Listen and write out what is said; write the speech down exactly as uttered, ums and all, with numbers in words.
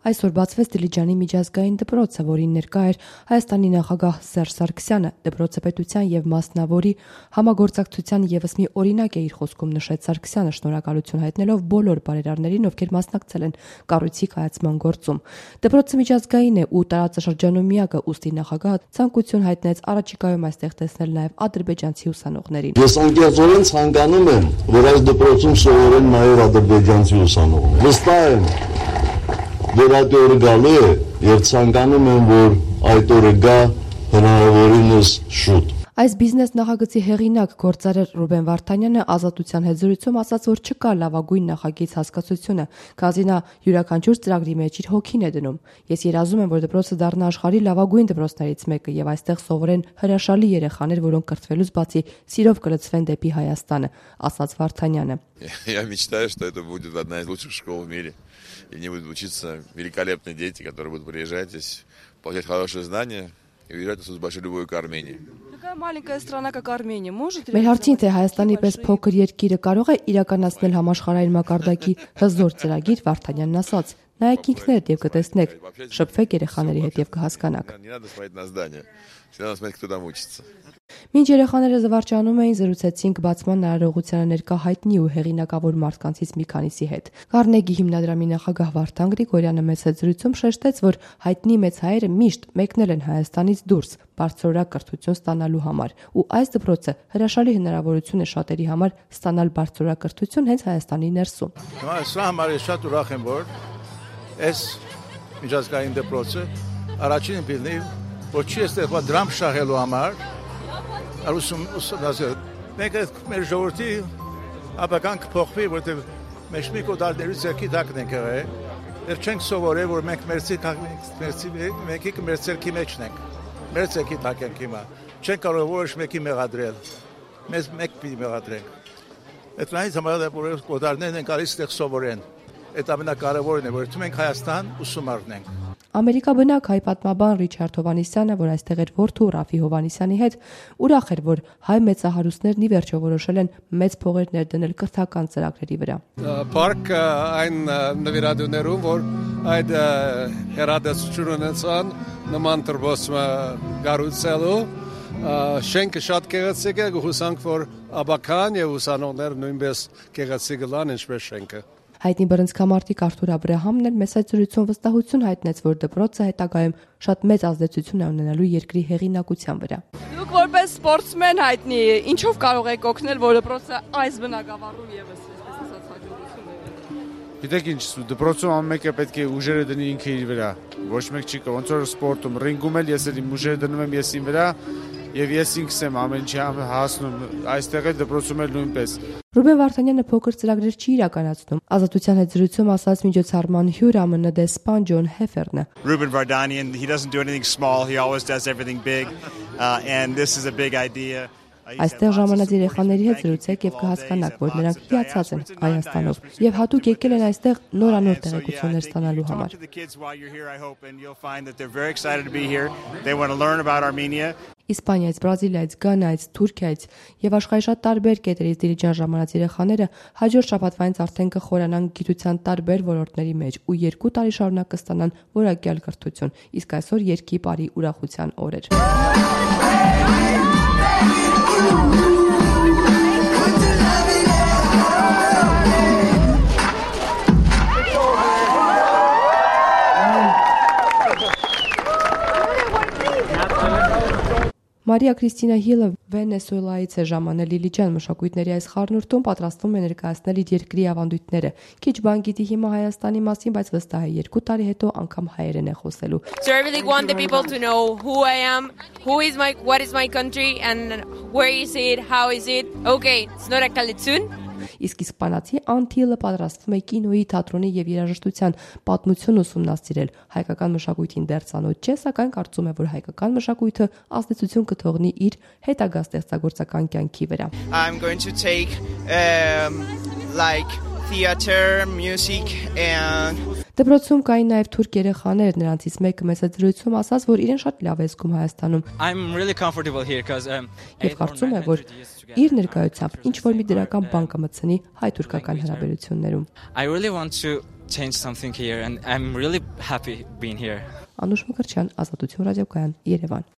Այսօր բացվեց Դիլիջանի միջազգային դպրոցը, որին ներկա էր Հայաստանի նախագահ Սերժ Սարգսյանը։ Դպրոցը պետության եւ մասնավորի համագործակցության եւս մի օրինակ է իր խոսքում նշեց Սարգսյանը, շնորհակալություն հայտնելով բոլոր բարերարներին, ովքեր մասնակցել են կառույցի կայացման գործում։ Դպրոցը միջազգային է ու տարածաշրջանում միակը, ուստի նախագահը ցանկություն հայտնեց առաջիկայում այստեղ տեսնել նաեւ ադրբեջանցի ուսանողներին։ Ես անկեղծորեն ցանկանում եմ, որ այս դպրոցում սովորեն նաեւ ադրբեջանցի ուսանողներ։ Վստահ եմ, որ այդ օրը գալու է եւ ցանկանում եմ, որ այդ օրը գա հնարավորինս շուտ։ Այս բիզնես նախագծի հեղինակ գործարար Ռուբեն Վարդանյանը ազատության հետ զրույցում ասաց, որ չկա լավագույն նախագիծ հասկացությունը, քանզի նա յուրաքանչյուր ծրագրի մեջ իր հոգին է դնում։ Ես երազում եմ, որ դպրոցը դառնա աշխարհի լավագույն դպրոցներից մեկը եւ այստեղ սովորեն հրաշալի երեխաներ, որոնք կրթվելուց բացի սիրով կլցվեն դեպի Հայաստանը, ասաց Վարդանյանը։ Я мечтаю, что это будет одна из лучших школ в мире. И не будут учиться великолепные дети, которые будут приезжать здесь, получать хорошие знания и уезжать с большой любовью к Армении. Такая маленькая страна, как Армения, может... Մեր հարցին թե Հայաստանի պես փոքր երկիրը կարող է իրականացնել համաշխարհային մակարդակի հզոր ծրագիր, Վարդանյանն ասաց. Նայեք ինքներդ եւ կտեսնեք, շփվեք երեխաների հետ եւ կհասկանաք։ Մինչ երեխաները զվարճանում էին, զրուցեցինք բացման նարարողությանը ներկա հայտնի ու հեղինակավոր մարդկանցից մի քանիսի հետ։ Կարնեգի հիմնադրամի նախագահ Վարդան Գրիգորյանը մեծ հետ զրույցում շեշտեց, որ հայտնի մեծ հայերը միշտ մեկնել են Հայաստանից դուրս բարձրորակ կրթություն ստանալու համար, ու այս դպրոցը հրաշալի հնարավորություն է շատերի համար ստանալ բարձրորակ կրթություն հենց Հայաստանի ներսում։ Հիմա սա համար է շատ ուրախ եմ, որ այս միջազգային դպրոցը առաջին բիզնես որ չի ստեղծված դրամ շահելու համար, արուսում ուսումնասիրել։ Մենք մեր ժողովրդի ապական կփոխվի, որտեղ մենք մի կոդալների ձեռքի տակն ենք եղել, դեռ չենք սովորել, որ մենք մերցի մեկի մեր ձեռքի մեջն ենք, մեր ձեռքի տակ ենք հիմա, չենք կարող որոշ մեկի մեղադրել, մեզ մեկ պիտի մեղադրենք։ Այդտեղից համարյա որ կոդալներն են գալիս այդտեղ սովորեն, այդ ամենակարևորն է, որ դու մենք Հայաստան ուսում առնենք։ Ամերիկա բնակ հայ պատմաբան Ռիչարդ Հովհաննիսյանը, որ այստեղ էր որդու Ռաֆի Հովհաննիսյանի հետ, ուրախ էր, որ հայ մեծահարուստներն ի վերջո որոշել են մեծ փողեր ներդնել կրթական ծրագրերի վրա։ Պարկ այն նվիրատուներում, որ այդ հերադասություն ունեցան նման դպրոցը կառուցելու, շենքը շատ գեղեցիկ է, հուսանք, որ աբական եւ ուսանողներ նույնպես գեղեցիկ լան ինչպես շենքը։ Հայտնի բռնցքամարտիկ Արթուր Աբրահամն էլ մեծ զրույցում վստահություն հայտնեց, որ դպրոցը հետագայում շատ մեծ ազդեցություն է ունենալու երկրի հեղինակության վրա։ Դուք որպես սպորտսմեն հայտնի, ինչով կարող եք օգնել, որ դպրոցը այս բնակավարում եւս այսպես ասած հաջողություն ունենա։ Գիտեք ինչ, դպրոցում ամեն մեկը պետք է ուժերը դնի ինքը իր վրա։ Ոչ մեկ չի կարող, ոնց որ սպորտում, ռինգում էլ ես էլ իմ ուժերը դնում եմ ես իմ վրա, եւ ես ինքս եմ ամեն ինչի հասնում, այստեղ էլ դպրոցում էլ նույնպես։ Ռուբեն Վարդանյանը փոքր ծրագրեր չի իրականացնում։ Ազատության հետ զրույցում ասաց միջոցառման հյուր ԱՄՆ դեսպան Ջոն Հեֆերնը։ Ruben Vardanyan, he doesn't do anything small, he always does everything big, uh, and this is a big idea. Այստեղ ժամանած երեխաների հետ զրուցեք եւ կհասկանաք, որ նրանք հիացած են Հայաստանով եւ հատուկ եկել են այստեղ նորանոր տեղեկություններ ստանալու համար։ Իսպանիայից, Բրազիլիայից, Գանայից, Թուրքիայից եւ աշխարհի շատ տարբեր կետերից Դիլիջան ժամանած երեխաները հաջորդ շաբաթվանից արդեն կխորանան գիտության տարբեր ոլորտների մեջ ու երկու տարի շարունակ կստանան որակյալ կրթություն։ Իսկ այսօր երկի բարի ուրախության օր էր։ Մարիա Քրիստինա Հիլը Վենեսուելայից է ժամանել Դիլիջան մշակույթների այս խառնուրդում պատրաստվում է ներկայացնել իր երկրի ավանդույթները։ Քիչ բան գիտի հիմա Հայաստանի մասին, բայց վստահ է երկու տարի հետո անգամ հայերեն է խոսելու։ So I really want the people to know who I am, who is my, what is my country and where is it, how is it. Okay, it's not a Kalitsun. Իսկ իսպանացի Անթիլը պատրաստվում է կինոյի, թատրոնի եւ երաժշտության պատմություն ուսումնասիրել։ Հայկական մշակույթին դեռ ծանոթ չէ, սակայն կարծում է, որ հայկական մշակույթը ազդեցություն կթողնի իր հետագա ստեղծագործական կյանքի վրա։ I'm going to take um, like theater, music and Դպրոցում կային նաև թուրք երեխաներ, նրանցից մեկը մեծ զրույցում ասաց, որ իրեն շատ լավ է զգում Հայաստանում։ I'm really comfortable here because um Եվ կարծում է, որ իր ներկայությամբ ինչ որ մի դրական բան կմտցնի հայ-թուրքական հարաբերություններում։ I really want to change something here and I'm really happy being here. Անուշ Մկրտչյան, Ազատություն ռադիոկայան, Երևան։